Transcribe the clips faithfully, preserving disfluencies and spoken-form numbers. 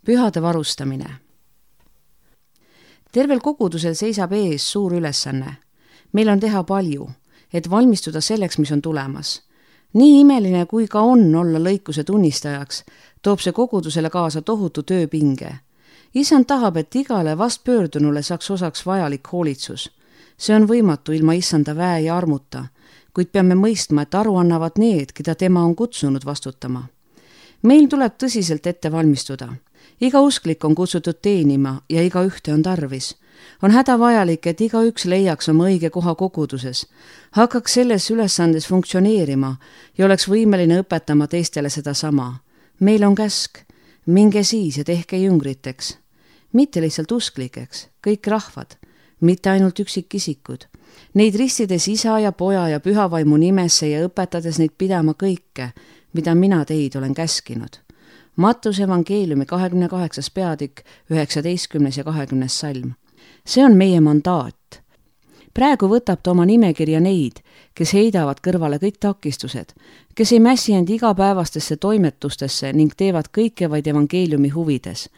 pühade varustamine. Tervel kogudusel seisab ees suur ülesanne. Meil on teha palju, et valmistuda selleks, mis on tulemas. Nii imeline kui ka on olla lõikuse tunnistajaks, toob see kogudusele kaasa tohutu tööpinge. Issand tahab, et igale vastpöördunule saaks osaks vajalik hoolitsus. See on võimatu ilma issanda väe ja armuta, kuid peame mõistma, et aru annavad need, keda tema on kutsunud vastutama. Meil tuleb tõsiselt ette valmistuda. Iga usklik on kutsutud teenima ja iga ühte on tarvis. On hädavajalik, et iga üks leiaks oma õige koha koguduses, hakkaks selles ülesandes funktsioneerima ja oleks võimeline õpetama teistele seda sama. Meil on käsk, minge siis ja tehke jüngriteks. Mitte lihtsalt usklikeks, kõik rahvad, mitte ainult üksikisikud. Neid ristides isa ja poja ja pühavaimu nimesse ja õpetades neid pidama kõike, mida mina teid olen käskinud. Mattuse evangeeliumi kahekümne kaheksas peatükk, üheksateistkümnes ja kahekümnes salm. See on meie mandaat. Praegu võtab ta oma nimekirja neid, kes heidavad kõrvale kõik takistused, kes ei mässi end igapäevastesse toimetustesse ning teevad kõike vaid evangeeliumi huvides.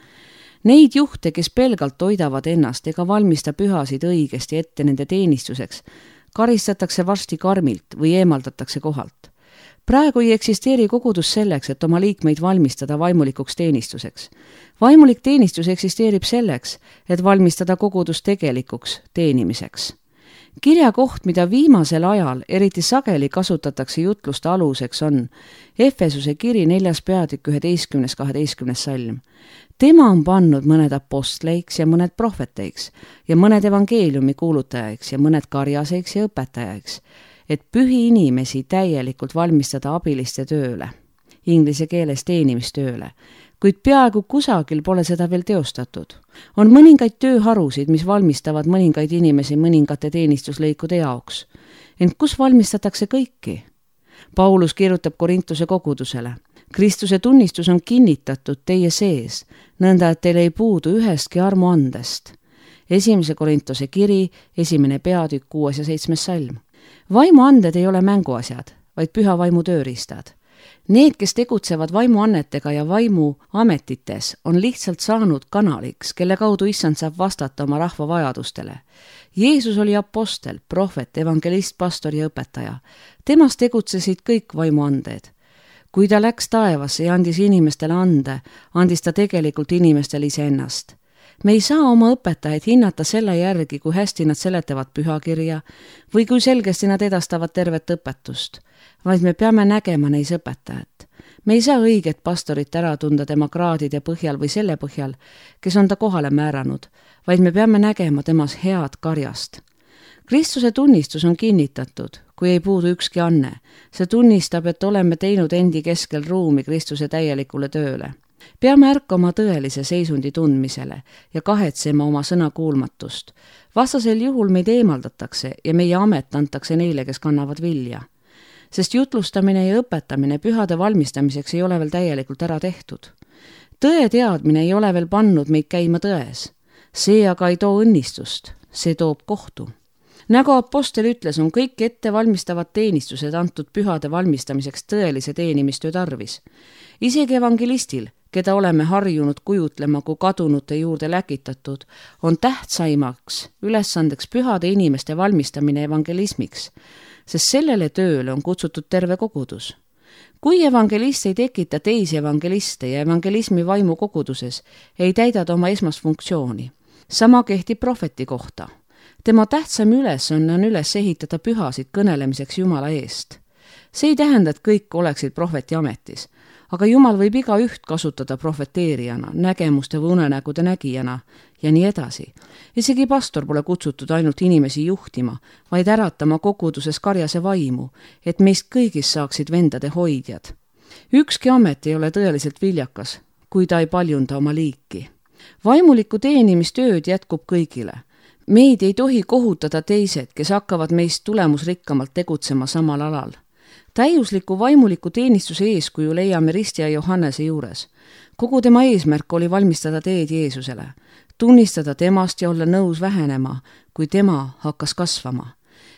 Neid juhte, kes pelgalt toidavad ennast ega valmista pühasid õigesti ette nende teenistuseks, karistatakse varsti karmilt või eemaldatakse kohalt. Praegu ei eksisteeri kogudus selleks, et oma liikmeid valmistada vaimulikuks teenistuseks. Vaimulik teenistus eksisteerib selleks, et valmistada kogudus tegelikuks teenimiseks. Kirja koht, mida viimasel ajal eriti sageli kasutatakse jutluste aluseks, on Efesuse kiri neljas peatükk üheteistkümnes kaheteistkümnes salm. Tema on pannud mõned apostleiks ja mõned prohveteiks ja mõned evangeeliumi kuulutajaiks ja mõned karjaseiks ja õpetajaiks, et pühi inimesi täielikult valmistada abiliste tööle, inglise keeles teenimistööle, kuid peaaegu kusagil pole seda veel teostatud. On mõningaid tööharusid, mis valmistavad mõningaid inimesi mõningate teenistuslõikude jaoks. Ent kus valmistatakse kõiki? Paulus kirjutab Korintuse kogudusele. Kristuse tunnistus on kinnitatud teie sees, nõnda et teil ei puudu ühestki armu andest. Esimese Korintuse kiri, esimene peatükk, kuues ja seitsmes salm. Vaimuanded ei ole mänguasjad, vaid püha vaimu tööriistad. Need, kes tegutsevad vaimuannetega ja vaimu ametites, on lihtsalt saanud kanaliks, kelle kaudu issand saab vastata oma rahva vajadustele. Jeesus oli apostel, prohvet, evangelist, pastor ja õpetaja. Temas tegutsesid kõik vaimuanded. Kui ta läks taevasse ja andis inimestele ande, andis ta tegelikult inimestele iseennast. Me ei saa oma õpetajaid hinnata selle järgi, kui hästi nad seletavad pühakirja või kui selgesti nad edastavad tervet õpetust, vaid me peame nägema neis õpetajat. Me ei saa õiget pastorit ära tunda tema kraadide põhjal või selle põhjal, kes on ta kohale määranud, vaid me peame nägema temas head karjast. Kristuse tunnistus on kinnitatud, kui ei puudu ükski anne. See tunnistab, et oleme teinud endi keskel ruumi Kristuse täielikule tööle. Peame ärkama tõelise seisundi tundmisele ja kahetsema oma sõna kuulmatust. Vastasel juhul meid eemaldatakse ja meie amet antakse neile, kes kannavad vilja. Sest jutlustamine ja õpetamine pühade valmistamiseks ei ole veel täielikult ära tehtud. Tõe teadmine ei ole veel pannud meid käima tões. See aga ei too õnnistust, see toob kohtu. Nagu apostel ütles, on kõik ettevalmistavad teenistused antud pühade valmistamiseks tõelise teenimistöö tarvis. Isegi evangelistil, keda oleme harjunud kujutlema kui kadunute juurde läkitatud, on tähtsaimaks ülesandeks pühade inimeste valmistamine evangelismiks, sest sellele tööle on kutsutud terve kogudus. Kui evangelist ei tekita teisi evangeliste ja evangelismi vaimu koguduses, ei täida ta oma esmast funktsiooni. Sama kehtib prohveti kohta. Tema tähtsam ülesanne on üles ehitada pühasid kõnelemiseks Jumala eest. See ei tähenda, et kõik oleksid prohveti ametis, aga Jumal võib iga üht kasutada prohveteerijana, nägemuste või unenägude nägijana ja nii edasi. Isegi pastor pole kutsutud ainult inimesi juhtima, vaid äratama koguduses karjase vaimu, et meist kõigist saaksid vendade hoidjad. Ükski amet ei ole tõeliselt viljakas, kui ta ei paljunda oma liiki. Vaimuliku teenimistööd jätkub kõigile. Meid ei tohi kohutada teised, kes hakkavad meist tulemusrikkamalt tegutsema samal alal. Täiusliku vaimuliku teenistuse eeskuju leiame Ristja Johannese juures. Kogu tema eesmärk oli valmistada teed Jeesusele, tunnistada temast ja olla nõus vähenema, kui tema hakkas kasvama.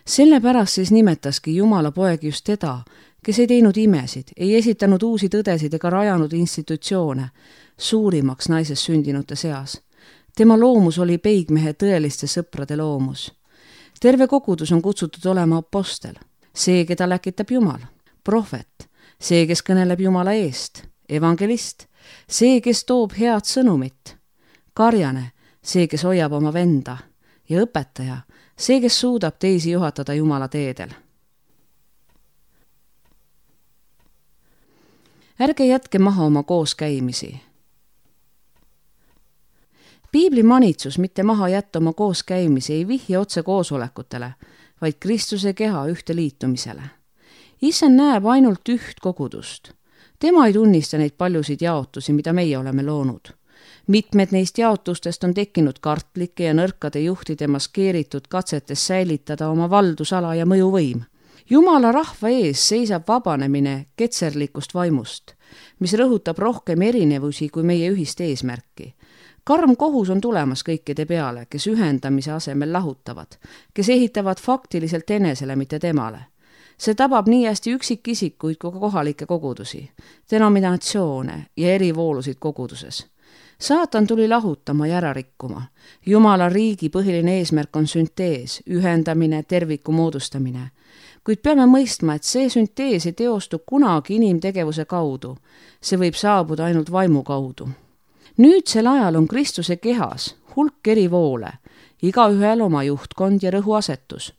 Sellepärast siis nimetaski Jumala poeg just teda, kes ei teinud imesid, ei esitanud uusi tõdesid ega rajanud institutsioone, suurimaks naisest sündinute seas. Tema loomus oli peigmehe tõeliste sõprade loomus. Terve kogudus on kutsutud olema apostel, see, keda läkitab Jumal, prohvet, see, kes kõneleb Jumala eest, evangelist, see, kes toob head sõnumit, karjane, see, kes hoiab oma venda, ja õpetaja, see, kes suudab teisi juhatada Jumala teedel. Ärge jätke maha oma kooskäimisi. Piibli manitsus mitte maha jätta oma kooskäimisi ei vihja otse koosolekutele, vaid Kristuse keha ühte liitumisele. Issand näeb ainult üht kogudust. Tema ei tunnista neid paljusid jaotusi, mida meie oleme loonud. Mitmed neist jaotustest on tekkinud kartlike ja nõrkade juhtide maskeeritud katsetes säilitada oma valdusala ja mõjuvõim. Jumala rahva ees seisab vabanemine ketserlikust vaimust, mis rõhutab rohkem erinevusi kui meie ühist eesmärki. Karm kohus on tulemas kõikide peale, kes ühendamise asemel lahutavad, kes ehitavad faktiliselt enesele, mitte temale. See tabab nii hästi üksikisikuid kui kohalikke kogudusi, denominatsioone ja erivoolusid koguduses. Saatan tuli lahutama ja ära rikkuma. Jumala riigi põhiline eesmärk on süntees, ühendamine, terviku moodustamine. Kuid peame mõistma, et see süntees ei teostu kunagi inimtegevuse kaudu. See võib saabuda ainult vaimu kaudu. Nüüdsel ajal on Kristuse kehas hulk eri voole, igaühel oma juhtkond ja rõhuasetus.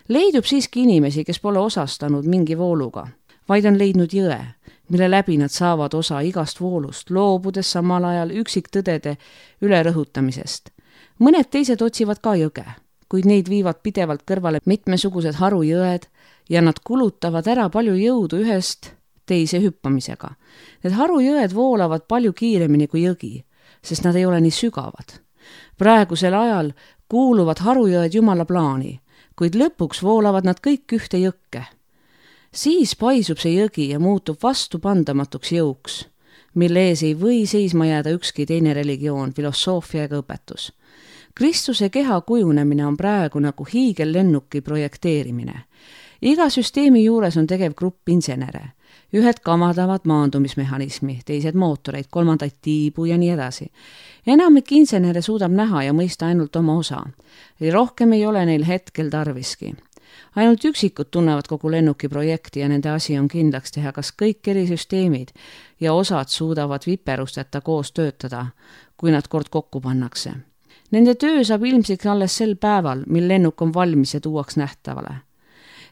Leidub siiski inimesi, kes pole osastanud mingi vooluga, vaid on leidnud jõe, mille läbi nad saavad osa igast voolust, loobudes samal ajal üksiktõdede ülerõhutamisest. Mõned teised otsivad ka jõge, kuid neid viivad pidevalt kõrvale mitmesugused harujõed ja nad kulutavad ära palju jõudu ühest teise hüppamisega. Need harujõed voolavad palju kiiremini kui jõgi, sest nad ei ole nii sügavad. Praegusel ajal kuuluvad harujõed Jumala plaani, kuid lõpuks voolavad nad kõik ühte jõkke. Siis paisub see jõgi ja muutub vastupandamatuks jõuks, mille ees ei või seisma jääda ükski teine religioon, filosoofia ega õpetus. Kristuse keha kujunemine on praegu nagu hiigellennuki projekteerimine. Iga süsteemi juures on tegev grupp insenere. Ühed kamadavad maandumismehhanismi, teised mootoreid, kolmandaid tiibu ja nii edasi. Enamik insenere suudab näha ja mõista ainult oma osa. Rohkem ei ole neil hetkel tarviski. Ainult üksikud tunnevad kogu lennuki projekti ja nende asi on kindlaks teha, kas kõik eri süsteemid ja osad suudavad viperusteta koos töötada, kui nad kord kokku pannakse. Nende töö saab ilmsiks alles sel päeval, mil lennuk on valmis ja tuuaks nähtavale.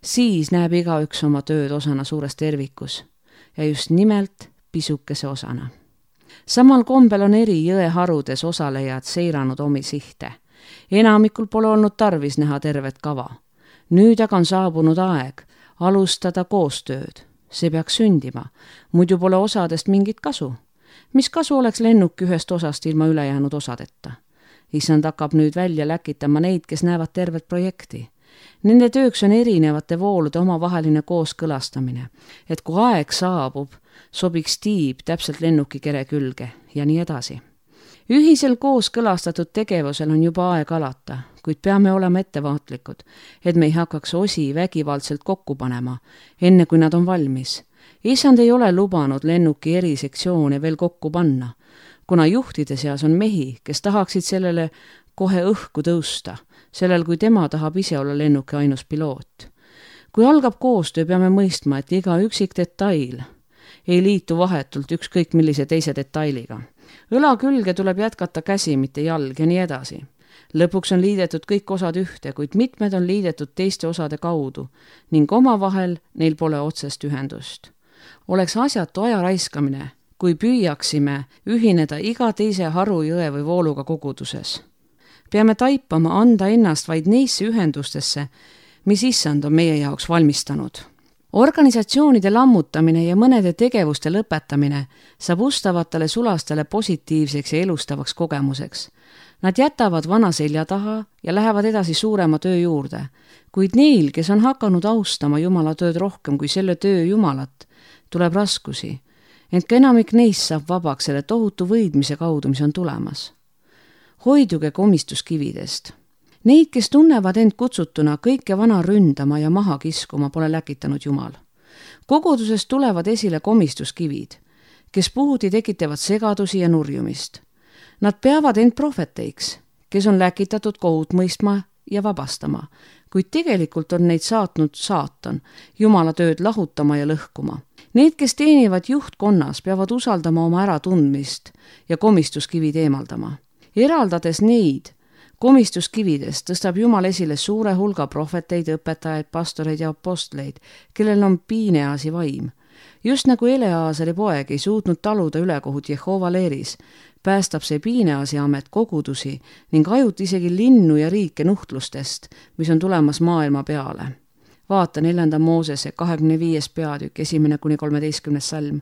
Siis näeb igaüks oma tööd osana suures tervikus ja just nimelt pisukese osana. Samal kombel on eri jõeharudes osalejad seiranud omi sihte. Enamikul pole olnud tarvis näha tervet kava. Nüüd aga on saabunud aeg alustada koostööd. See peaks sündima, muidu pole osadest mingit kasu. Mis kasu oleks lennuk ühest osast ilma ülejäänud osadeta? Issand hakkab nüüd välja läkitama neid, kes näevad tervet projekti. Nende tööks on erinevate voolude omavaheline kooskõlastamine, et kui aeg saabub, sobiks tiib täpselt lennuki kere külge ja nii edasi. Ühisel kooskõlastatud tegevusel on juba aeg alata, kuid peame olema ettevaatlikud, et me ei hakkaks osi vägivaldselt kokku panema, enne kui nad on valmis. Issand ei ole lubanud lennuki eri sektsioone veel kokku panna, kuna juhtide seas on mehi, kes tahaksid sellele kohe õhku tõusta, sellel kui tema tahab ise olla lennuki ainus piloot. Kui algab koostöö, peame mõistma, et iga üksik detail ei liitu vahetult ükskõik millise teise detailiga. Õla külge tuleb jätkata käsi, mitte jalg ja nii edasi. Lõpuks on liidetud kõik osad ühte, kuid mitmed on liidetud teiste osade kaudu ning omavahel neil pole otsest ühendust. Oleks asjatu aja raiskamine, kui püüaksime ühineda iga teise haru, jõe või vooluga koguduses. Peame taipama anda ennast vaid neisse ühendustesse, mis issand on meie jaoks valmistanud. Organisatsioonide lammutamine ja mõnede tegevuste lõpetamine saab ustavatele sulastele positiivseks ja elustavaks kogemuseks. Nad jätavad vana selja taha ja lähevad edasi suurema töö juurde, kuid neil, kes on hakanud austama Jumala tööd rohkem kui selle töö Jumalat, tuleb raskusi, ent ka enamik neist saab vabaks selle tohutu võidmise kaudu, mis on tulemas. Hoiduge komistuskividest. Neid, kes tunnevad end kutsutuna kõike vana ründama ja maha kiskuma, pole läkitanud Jumal. kogudusest tulevad esile komistuskivid, kes puhuti tekitavad segadusi ja nurjumist. Nad peavad end prohveteiks, kes on läkitatud kohut mõistma ja vabastama, kuid tegelikult on neid saatnud saatan, Jumala tööd lahutama ja lõhkuma. Need, kes teenivad juhtkonnas, peavad usaldama oma äratundmist ja komistuskivid eemaldama. Eraldades neid komistuskividest tõstab Jumal esile suure hulga prohveteid, õpetajaid, pastoreid ja apostleid, kellel on Piineasi vaim. Just nagu Eleazari poeg ei suutnud taluda ülekohut Jehova leeris, päästab see Piineasi amet kogudusi ning ajut isegi linnu ja riike nuhtlustest, mis on tulemas maailma peale. Vaata neljanda Moosese kahekümne viies peatükk, esimene kuni kolmeteistkümnes salm.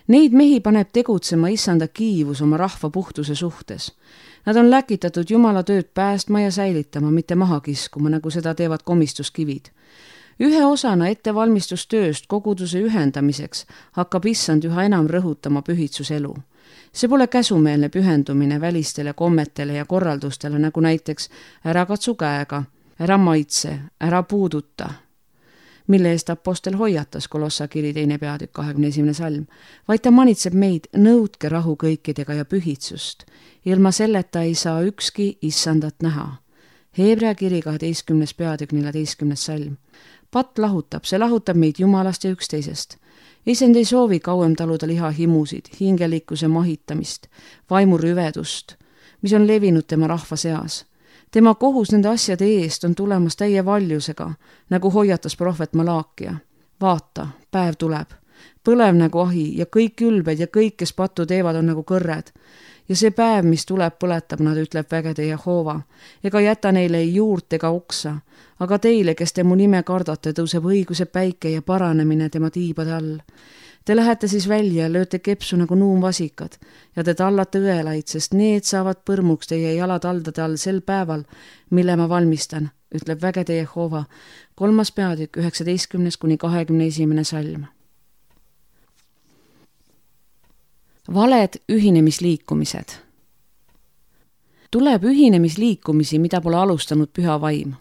Neid mehi paneb tegutsema issanda kiivus oma rahva puhtuse suhtes. Nad on läkitatud Jumala tööd päästma ja säilitama, mitte maha kiskuma, nagu seda teevad komistuskivid. Ühe osana ettevalmistustööst koguduse ühendamiseks hakkab issand üha enam rõhutama pühitsuselu. See pole käsumeelne pühendumine välistele kommetele ja korraldustele, nagu näiteks ära katsu käega, ära maitse, ära puuduta, mille eest apostel hoiatas Kolossa kiri teine peatükk kahekümne esimene salm, vaid ta manitseb meid, nõudke rahu kõikidega ja pühitsust. Ilma selleta ei saa ükski issandat näha. Hebrea kiri kaheteistkümnes peatükk neljateistkümnes salm. Pat lahutab, see lahutab meid Jumalast ja üksteisest. Issand ei soovi kauem taluda lihahimusid, hingelikkuse mahitamist, vaimurüvedust, mis on levinud tema rahva seas. Tema kohus nende asjade eest on tulemas täie valjusega, nagu hoiatas prohvet Malaakia. Vaata, päev tuleb, põlev nagu ahi ja kõik ülbed ja kõik, kes pattu teevad, on nagu kõrred. Ja see päev, mis tuleb, põletab nad, ütleb vägede Jehova, ega jäta neile ei juurt ega oksa, aga teile, kes te mu nime kardate, tõuseb õiguse päike ja paranemine tema tiibade all. Te lähete siis välja ja lööte kepsu nagu nuumvasikad ja te tallate õelaid, sest need saavad põrmuks teie jalataldade all sel päeval, mille ma valmistan, ütleb vägede Jehova, kolmas peatükk, üheksateistkümnes kuni kahekümne esimene salm. Valed ühinemisliikumised. Tuleb ühinemisliikumisi, mida pole alustanud püha vaim.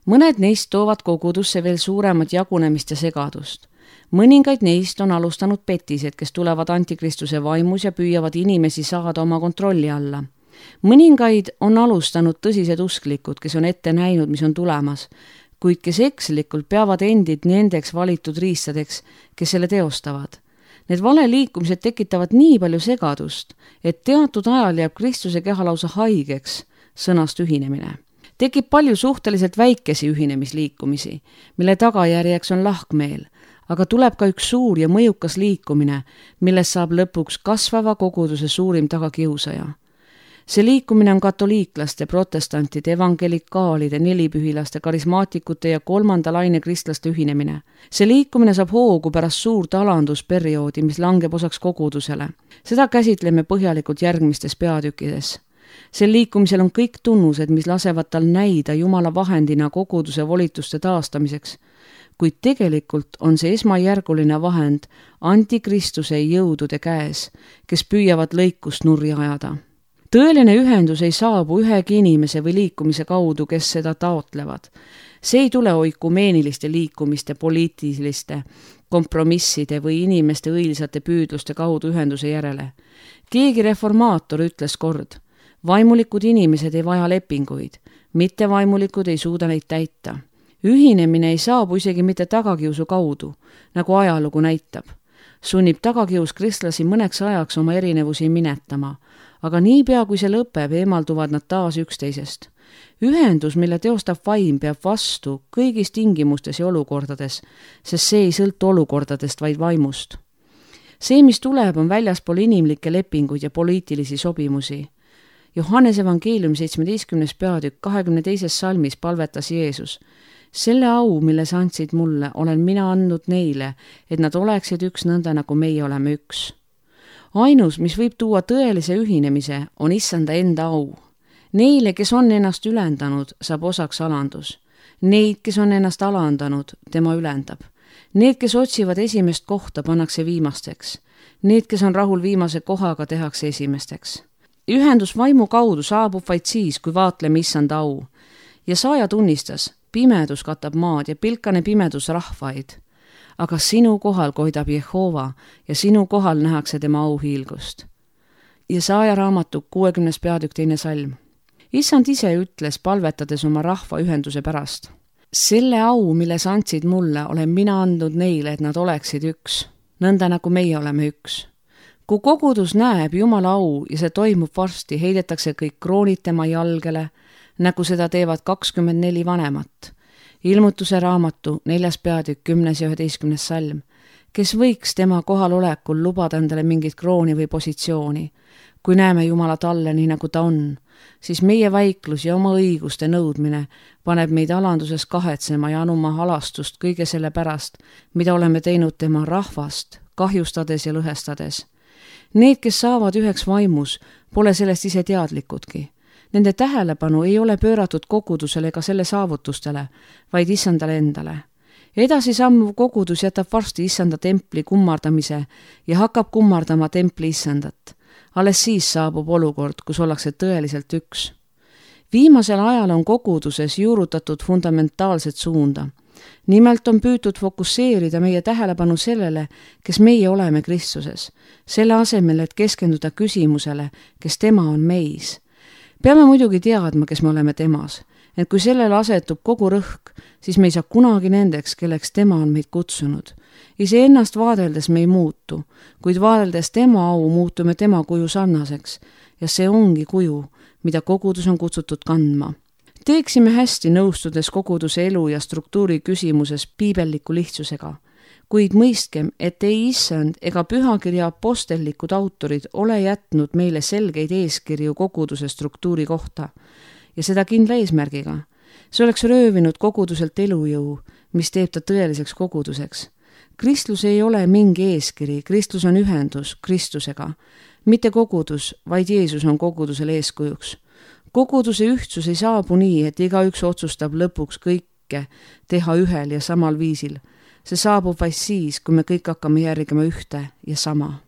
Mõned neist toovad kogudusse veel suuremat jagunemist ja segadust. Mõningaid neist on alustanud petised, kes tulevad antikristuse vaimus ja püüavad inimesi saada oma kontrolli alla. Mõningaid on alustanud tõsised usklikud, kes on ette näinud, mis on tulemas, kuid kes ekslikult peavad endid nendeks valitud riistadeks, kes selle teostavad. Need valeliikumised tekitavad nii palju segadust, et teatud ajal jääb Kristuse keha lausa haigeks sõnast ühinemine. Tekib palju suhteliselt väikesi ühinemisliikumisi, mille tagajärjeks on lahkmeel, aga tuleb ka üks suur ja mõjukas liikumine, millest saab lõpuks kasvava koguduse suurim tagakiusaja. See liikumine on katoliiklaste, protestantide, evangelikaalide, nelipühilaste, karismaatikute ja kolmanda laine kristlaste ühinemine. See liikumine saab hoogu pärast suurt alandusperioodi, mis langeb osaks kogudusele. Seda käsitleme põhjalikult järgmistes peatükkides. Sel liikumisel on kõik tunnused, mis lasevad tal näida Jumala vahendina koguduse volituste taastamiseks, kuid tegelikult on see esmajärguline vahend antikristuse jõudude käes, kes püüavad lõikust nurja ajada. Tõeline ühendus ei saabu ühegi inimese või liikumise kaudu, kes seda taotlevad. See ei tule oikumeeniliste liikumiste, poliitiliste kompromisside või inimeste õilsate püüdluste kaudu ühenduse järele. Keegi reformaator ütles kord, vaimulikud inimesed ei vaja lepinguid, mitte vaimulikud ei suuda neid täita. Ühinemine ei saabu isegi mitte tagakiusu kaudu, nagu ajalugu näitab. Sunnib tagakius kristlasi mõneks ajaks oma erinevusi minetama, aga niipea kui see lõpeb, eemalduvad nad taas üksteisest. Ühendus, mille teostab vaim, peab vastu kõigis tingimustes ja olukordades, sest see ei sõltu olukordadest, vaid vaimust. See, mis tuleb, on väljaspool inimlikke lepinguid ja poliitilisi sobimusi. Johannes evangeeliumi seitsmeteistkümnes peatükk kahekümne teises salmis palvetas Jeesus. Selle au, mille sa andsid mulle, olen mina andnud neile, et nad oleksid üks nõnda, nagu meie oleme üks. Ainus, mis võib tuua tõelise ühinemise, on issanda enda au. Neile, kes on ennast ülendanud, saab osaks alandus. Neid, kes on ennast alandanud, tema ülendab. Need, kes otsivad esimest kohta, pannakse viimasteks. Need, kes on rahul viimase kohaga, tehakse esimesteks. Ühendus vaimu kaudu saabub vaid siis, kui vaatleme issanda au. Ja saaja tunnistas, pimedus katab maad ja pilkane pimedus rahvaid. aga sinu kohal koidab Jehova ja sinu kohal nähakse tema auhiilgust. Jesaja raamatu kuuekümnes peatükk teine salm. Issand ise ütles, palvetades oma rahva ühenduse pärast. Selle au, mille sa andsid mulle, olen mina andnud neile, et nad oleksid üks, nõnda nagu meie oleme üks. Kui kogudus näeb Jumala au ja see toimub varsti, heidetakse kõik kroonid tema jalgele, nagu seda teevad kakskümmend neli vanemat. Ilmutuse raamatu neljas peatükk kümnes ja üheteistkümnes salm. Kes võiks tema kohalolekul lubada endale mingit krooni või positsiooni? Kui näeme Jumala talle nii nagu ta on, siis meie vaiklus ja oma õiguste nõudmine paneb meid alanduses kahetsema ja anuma halastust kõige selle pärast, mida oleme teinud tema rahvast, kahjustades ja lõhestades. Need, kes saavad üheks vaimus, pole sellest ise teadlikudki. Nende tähelepanu ei ole pööratud kogudusele ega selle saavutustele, vaid issandale endale. Edasi sammuv kogudus jätab varsti issanda templi kummardamise ja hakkab kummardama templi issandat. Alles siis saabub olukord, kus ollakse tõeliselt üks. Viimasel ajal on koguduses juurutatud fundamentaalset suunda. Nimelt on püütud fokusseerida meie tähelepanu sellele, kes meie oleme Kristuses, selle asemel, et keskenduda küsimusele, kes tema on meis. Peame muidugi teadma, kes me oleme temas, et kui sellele asetub kogu rõhk, siis me ei saa kunagi nendeks, kelleks tema on meid kutsunud. Ise ennast vaadeldes me ei muutu, kuid vaadeldes tema au muutume tema kuju sarnaseks ja see ongi kuju, mida kogudus on kutsutud kandma. Teeksime hästi nõustudes koguduse elu ja struktuuri küsimuses piibelliku lihtsusega, kuid mõistkem, et ei issand ega pühakirja apostellikud autorid ole jätnud meile selgeid eeskirju koguduse struktuuri kohta ja seda kindla eesmärgiga. See oleks röövinud koguduselt elujõu, mis teeb ta tõeliseks koguduseks. Kristlus ei ole mingi eeskiri, Kristlus on ühendus Kristusega. Mitte kogudus, vaid Jeesus on kogudusele eeskujuks. Koguduse ühtsus ei saabu nii, et igaüks otsustab lõpuks kõike teha ühel ja samal viisil. See saabub vaid siis, kui me kõik hakkame järgima ühte ja sama.